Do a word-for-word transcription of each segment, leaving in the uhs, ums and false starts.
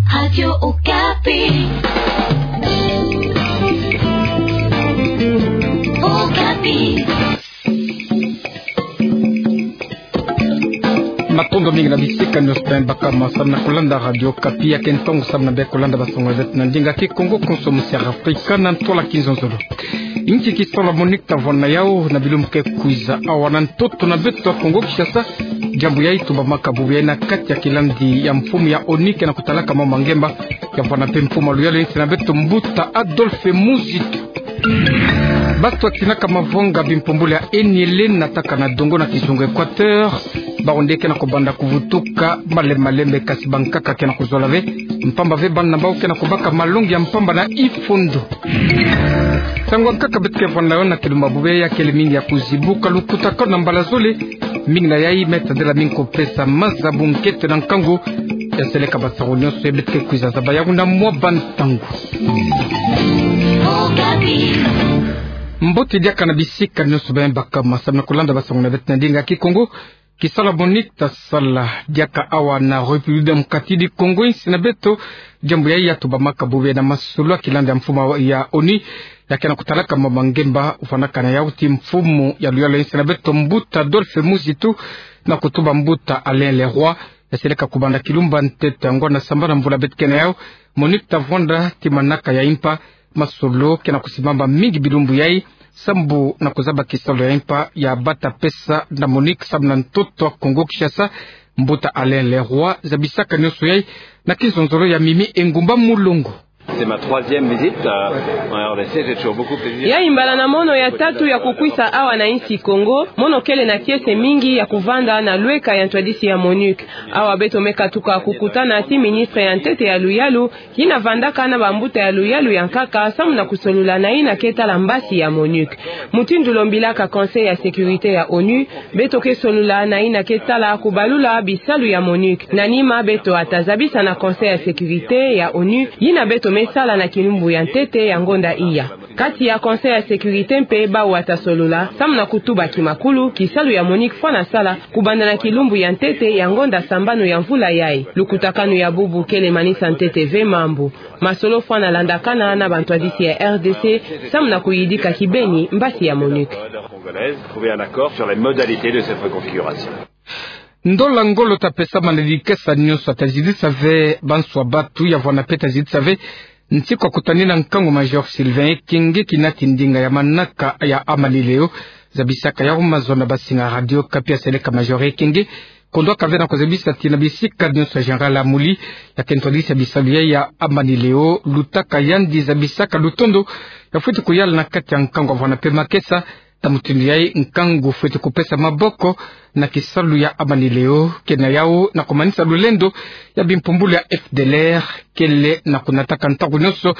Radio Okapi. Okapi. Matondo mingi na bisika nyonso beno baka ma samu na kulanda Radio Okapi. Ya ke ntongo samu na beno kulanda basango zeto na ndinga Kikongo, konso musi ya Afrika na ntwala kizonzolo. Inki kisalu MONUC ta vwanda na yau na bilumbu ke kwiza awa na ntoto na beto Kongo Kinshasa? Diambu yayi tubamaka bubu yayi na kati ya kilandi ya mfumu ya ONU ke na kutalaka mambu ma ngemba, ya vwanda mpe mfumu ya luyalu ya insi na beto, mbuta Adolphe Muzitu. Bato batinaka mavonga bimpumbulu ya eniele nataka na dongo na kizunga Équateur, bawu nde ke na kubanda kuvutuka malembe malembe, kasi bankaka ke na kuzola ve, mpamba ve bana na bawu ke na kubaka malongi ya mpamba na ifondo. Nsangu ya nkaka beto ke vwanda na yo na kilumbu ya bubu yayi kele mingi ya kuzibuka lukutakanu na mbala zole. Mingi na yayi Me Tadela Minko pesa mazabu nkete na nkangu ya seleka basango nyonso yayi beto ke kwiza zaba yawu na mwa bantangu. Mbote diaka na bisika nyonso beno baka ma samu na kulanda basango na beto na ndinga Kikongo. Kisalu MONUC ta sala diaka awa na République Démocratique du Congo, insi na beto. Diambu yayi ya tubamaka bubu yayi na masolo ya kilandi ya mfumu ya ONU ya ke na kutalaka mambu ma ngemba, vwandaka na yau ti mfumu ya luyalu ya insi na beto, mbuta Adolphe Muzitu, na kutuba mbuta Alain Leroy, ya seleka kubanda kilumbu ya ntete ya ngonda sambanu mvula beto ke na yau. MONUC ta vwanda ti manaka ya impa. Masolo ke na kusimbama mingi bilumbu yayi sambu na kuzaba kisalu ya impa ya bata pesa na MONUC samu na ntoto ya Kongo Kinshasa. Mbuta Alain Leroy zabisaka nyonso yayi na kizonzolo ya Mimi Engumba Mulongo. C'est ma troisième visite, euh, en R D C, j'ai toujours beaucoup plaisir. Yayi mbala na mono ya tatu ya kukwisa awa na insi Kongo. Mono kele na kiese mingi ya kuvanda na lweka ya ntwadisi ya MONUC. Awa beto me katuka kukutana ti ministre ya ntete ya luyalu, yina vandaka na bambuta ya luyalu ya nkaka samu na kusolola na yina ke tala mbasi ya MONUC. Mutindu lombilaka Conseil ya sécurité ya ONU, beto ke solola na yina ke tala kubalula bisalu ya MONUC. Na nima beto ata zabisa na Conseil ya sécurité ya ONU yina beto me sala na kilumbu ya ntete ya ngonda iya. Kati ya Conseil ya sécurité mpe bawu ata solola samu na kutuba kimakulu kisalu ya MONUC fwana sala kubanda na kilumbu ya ntete ya ngonda sambanu ya mvula yayi. Lukutakanu ya bubu kele manisa ntete ve mambu. Masolo fwana landakana na bantwadisi ya R D C samu na kuyidika kibeni mbasi ya MONUC. Congolaise, trouver un accord sur les modalités de cette reconfiguration. Ndola ngolo ta pesama na dikesa nyonso, ta zitisa ve banswa batu, ya vwanda mpe ta zitisa ve nsiku ya kutanina nkangu Major Sylvain Ekenge, kinati ndinga ya manaka ya Amani Leo. Zabisaka yau mazono na basinga Radio Okapi ya seleka Major Ekenge, kondwaka ve na kuzabisa ti na bisika nyonso Général Amuli, ya ke ntwadisi ya bisalu yayi ya Amani Leo, lutaka yandi zabisaka lutondo ya fweti kuyala na kati ya nkangu ya vwanda mpe makesa. Na mutindu yayi nkangu fweti kupesa maboko na kisalu ya Amani Leo, ke na yau na kumanisa lulendo ya bimpumbulu ya F D L R, kele na kunataka ntangu nyonso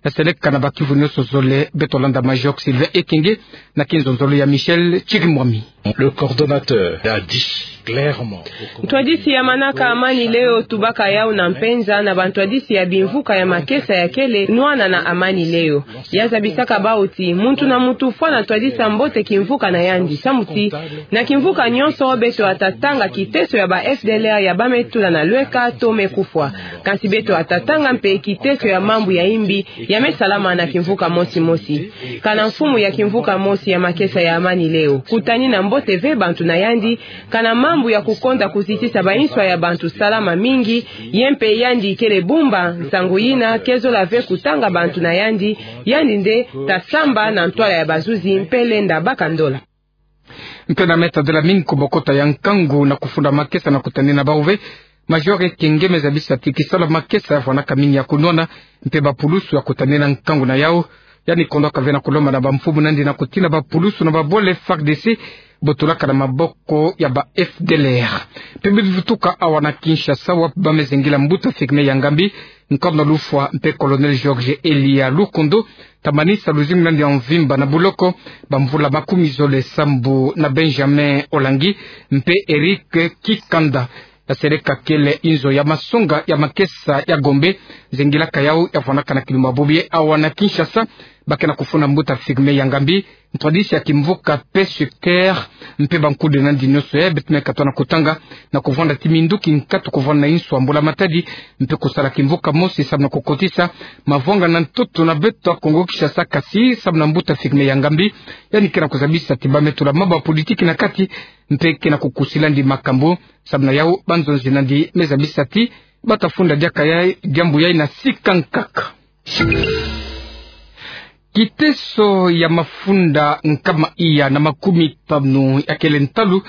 ya seleka na bakivu nyonso zole. Beto landa Major Sylvain Ekenge na kinzonzolo ya Michel Chirimwami. Le coordonnateur a dit clairement. Ntwadisi ya manaka Amani Leo tubaka yau na mpenza na bantwadisi ya bimvuka ya makesa ya kele nwana na Amani Leo. Ya zabisaka bawu ti muntu na muntu fwana twadisa mbote kimvuka na yandi, samu ti na kimvuka nyonso beto ata tanga kiteso ya ba F D L R ya ba me tula na lweka to me kufwa. Kansi beto ata tanga mpe kiteso ya mambu ya imbi ya me salama na kimvuka mosi mosi. Kana mfumu ya kimvuka mosi ya makesa ya Amani Leo, kutanina mbote ve bantu na yandi, kana mambu ya kukonda kuzitisa banswa ya bantu salama mingi, ye mpe yandi kele bumba, nsangu yina ke zola ve kutanga bantu na yandi, yandi nde ta samba na ntwala ya bazuzi mpe lenda baka ndola. Mpe na Me Tadela Minko, bokota ya nkangu na kufunda makesa na kutanina bawu ve, Major Ekenge me zabisa ti kisalu ya makesa ya vwanaka mingi ya kunwana, mpe bapulusu ya kutanina nkangu na yau. Yandi kondwaka ve na kulomba na bamfumu na yandi na kutina bapulusu na babwala F A R D C botolaka na maboko ya ba F D L R. Mpe bivutuka awa na Kinshasa, wapi ba me zengila mbuta Firmin Yangambi, nkono lufwa mpe Colonel Georges Elia Lukondo, ta manisa luzingu na yandi ya mvimba na buloko bamvula makumi zole sambu na Benjamin Olangi mpe Eric Kikanda. Ya seleka kele inzo ya masonga ya makesa ya Gombe, zengilaka yau ya vwanaka na kilumbu ya bobi awa na Kinshasa. ba ke na kufuna mbuta Firmin Yangambi, ntwadisi ya kimvuka Pêcheurs Cœur, mpe bankude nandi nyonso ya beto me katoa na kutanga, na kuvwanda ti minduki nkatu kuvwanda na inso ya mbula matadi, mpe kusala kimvuka mosi samu na kukotisa mavwanga na ntoto na beto ya Kongo Kinshasa, kasi samu na mbuta Firmin Yangambi, yandi ke na kuzabisa ti ba me tula mambu ya politiki na kati, mpe ke na kukusilandi makambu, samu na yau banzonzi nandi me zabisa ti ba ta funda diaka ya diambu yai na sika nkaka. Kiteso ya mafunda nkama iya na makumi tanu ya kele ntalu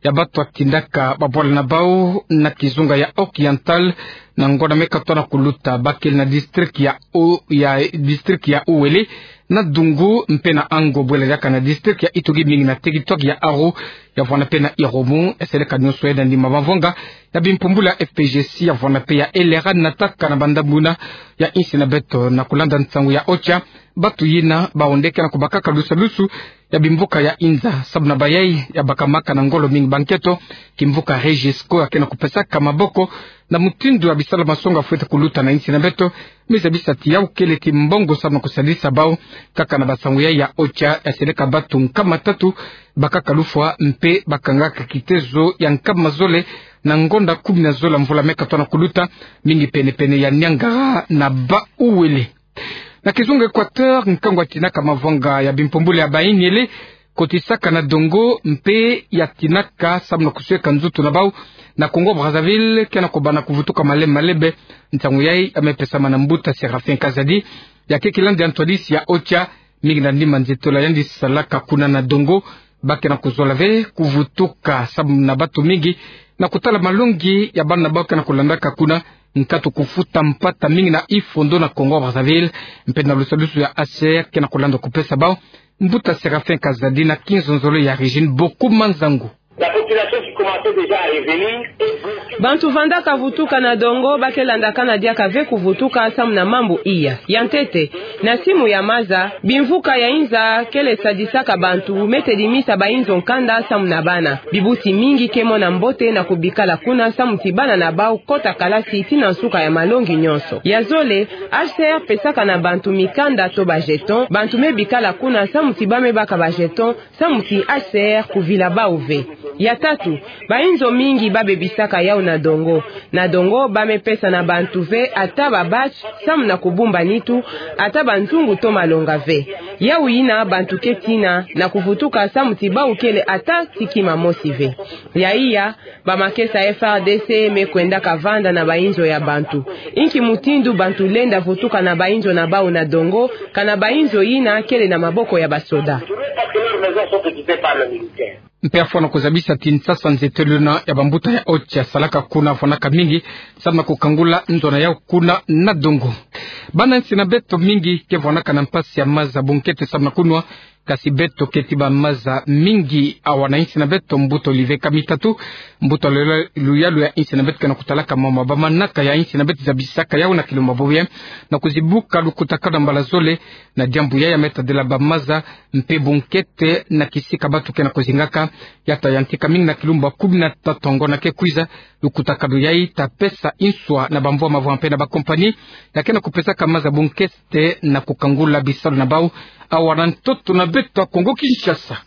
ya batu ya tindaka babwala na bau na kizunga ya Oriental, na ngonda me katoa na kuluta, ba kele na district ya U-, ya district ya Uele, na Dungu mpe na Ango, bwela diaka na district ya Ituri, mingi na territoire ya Aru, ya vwanda mpe na Irumu, ya seleka nyonso ya nandi mavanga ya bimpumbula F P G C, ya vwanda mpe ya L R A, na taka na bandambu yina ya insi na beto. Na kulanda nsangu ya OCHA, batu yina baonde ke na kubakaka lusalusu ya bimvuka ya inza, samu na bayai ya bakamaka na ngolo mingi ba nketo, kimvuka Regisco ya ke na kupesaka maboko na mutindu ya bisalu ya masonga fwete kuluta na insi na beto, me zabisa ti yau kele ti mbongo samu na kusalisa bau. Kaka na bansangu yai ya OCHA, ya seleka batu nkama tatu bakaka lufwa mpe bakangaka kitezo ya nkama zole na ngonda kumi na zole ya mvula me katoa na kuluta, mingi pene-pene ya Niangara na Bas-Uele. Na kizunga Equateur, nkangu ya tinaka mavanga ya bimpumbula ya bayengele kotisaka na dongo mpe ya tinaka samu na kusweka nzutu na bau na Congo Brazzaville ke na kubanda kuvutuka malembe malembe. Nsangu yai ya me pesama na mbuta Séraphin Kazadi, ya ke kilandi ya ntwadisi ya OCHA, mingi na nima nzitola yandi salaka kuna na dongo. Ba ke na kuzola ve kuvutuka samu na batu mingi na kutala malongi ya bana na bau ke na kulandaka kuna, nkatu kufuta mpata mingi na ifondo na Congo Brazzaville, mpe na lusalusu ya H C R ke na kulanda kupesa bau. Mbuta Séraphin Kazadi na kinzonzolo ya Régine Boku Manzangu. La population qui commençait déjà à revenir est bloquée. Bantu vandaka vutuka na dongo, ba ke landakana diaka ve kuvutuka samu na mambu iya. Ya ntete, na simu ya maza, bimvuka ya inza kele sadisaka bantu, me tedimisa bainzo nkanda samu na bana. Bibusi mingi ke mona mbote na kubikala kuna samu ti bana na bau kota kalasi tii na nsuka ya malongi nyonso. Ya zole, H C R pesaka na bantu mikanda to ba jeton, bantu me bikala kuna samu ti ba me baka ba jeton, samu ti H C R kuvila bau ve. Ya tatu, bainzo mingi ba bebisaka yau na dongo. Na dongo ba me pesa na bantu ve ata ba bâche samu na kubumba nitu, ata banzungu to malonga ve. Yau yina bantu ke tina na kuvutuka samu ti bau kele ata ti kima mosi ve. Ya iya, bamakesa F A R D C me kwendaka vanda na bainzo ya bantu. Inki mutindu bantu lenda vutuka na bainzo na bau na dongo, kana bainzo yina kele na maboko ya basoda? Parce que leurs maisons sont occupées par les militaires. Mpe afwana kuzabisa ti nsasa nzeteluna ya bambuta ya OCHA salaka kuna fwanaka mingi samu na kukangula nzo na yau kuna na dongo. Bana insi na beto mingi ke fwanaka na mpasi ya maza bunkete samu na kunwa, kasi beto keti ba maza mingi awa na insi na beto. Mbuta Olivier Kamitatu, mbuta luyalu ya insi na beto ke na kutalaka mama bamanaka ya insi na beto zabisaka yau na kilumbu ya bobo yayi na kuzibuka lukutakanu na mbala zole. Na diambu yayi ya me tadila ba maza mpe bunkete na kisika batu ke na kuzingaka, ya ta yantika mingi na kilumbu ya kumi na tatu ya ngonda ke kwiza. Lukutakanu yayi ta pesa inswa na bamvwama mvwama mpe na ba compagnie ya ke na kupesaka maza bunkete na kukangula bisalu na bau awa na ntoto na beto ya Congo Kinshasa.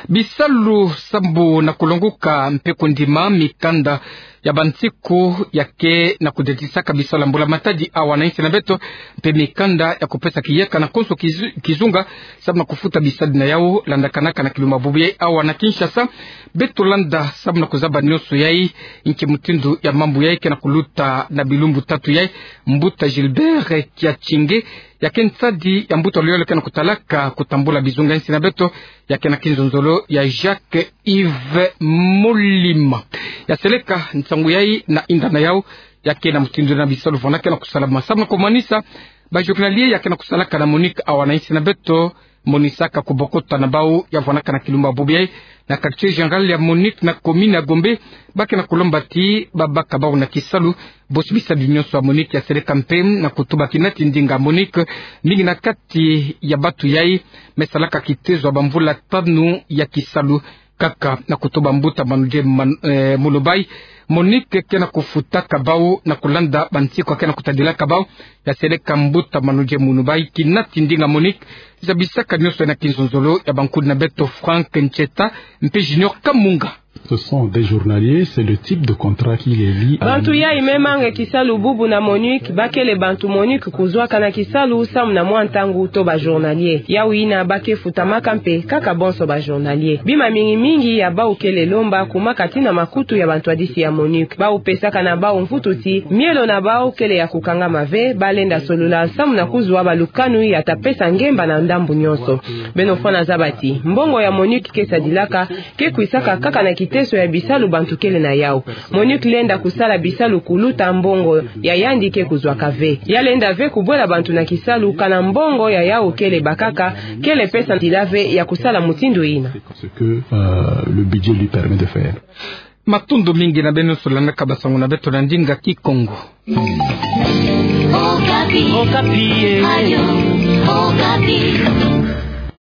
Bisalu sambu na kulonguka mpe kundima mikanda ya bansiku ya ke na kudetisaka bisalu ya mbula matadi awa na insi na beto, mpe mikanda ya kupesa kiyeka na konso kizu-, kizunga samu na kufuta bisadi na yau landakanaka na kilumbu ya bobo yayi awa na Kinshasa. Beto landa samu na kuzaba nyonso yayi, inki mutindu ya mambu yayi ke na kuluta na bilumbu tatu yayi. Mbuta Gilbert Kiachinge, ya ke nsadi ya mbuta luyalu ke na kutalaka kutambula bizunga insi na beto, ya ke na kinzonzolo ya Jacques Yves Molima. Ya seleka nsangu yayi na inda na yau, ya ke na mutindu na bisalu fwana ke na kusalama. Samu na kumanisa, ba journalier ya ke na kusalaka na MONUC awa na insi na beto, monisaka kubokota na bau ya fwanaka na kilumbu ya bobo yayi na quartier général ya MONUC na commune ya Gombe, ba ke na kulomba ti babaka bau na kisalu. Bosi bisadi nyonso ya MONUC ya seleka mpe na kutuba kina ti ndinga MONUC, mingi na kati ya batu yayi me salaka kitezo ya bamvula tanu ya kisalu. kaka na kutuba mbuta manoje man-, eh, munu bai. MONUC ke na kufutaka bau na kulanda bansiku ake na kutadilaka bau. Ya seleka mbuta manoje munu bai kina ti ndinga MONUC zabisaka nionso ena kinzonzolo ya bankudi na beto Franck Ncheta mpe Junior Kamunga. Ce sont des journaliers, c'est le type de contrat qui les lie à... Bantu yayi me manga kisalu bubu na MONUC, bakele bantu MONUC kuzwaka na kisalu samu na mwa ntangu to ba journaliers. Yawu yina ba ke futamaka mpe kaka bonso ba journaliers. Bima mingi mingi ya bau kele lomba kumaka ti na makutu ya bantwadisi ya MONUC. Bau pesaka na bau mvutu ti mielo na bau kele ya kukangama ve, ba lenda solola samu na kuzwa balukanu ya ta pesa ngemba na ndambu nionso. Beno fwana zaba ti mbongo ya MONUC ke sadilaka, ke kwisaka kaka na kiteso ya bisalu bantu kele na yawu. MONUC lenda kusala bisalu kuluta mbongo ya yandi ke kuzwaka ve. Ya lenda ve kubwela bantu na kisalu kana mbongo ya yawu kele bakaka, kele pesa nzila ve ya kusala mutindu yina. Ce que, euh, le budget lui permet de faire. Matondo mingi na beno nyonso landaka basango na beto na ndinga Kikongo. Okapi. Okapi, eh. Ayo, Okapi.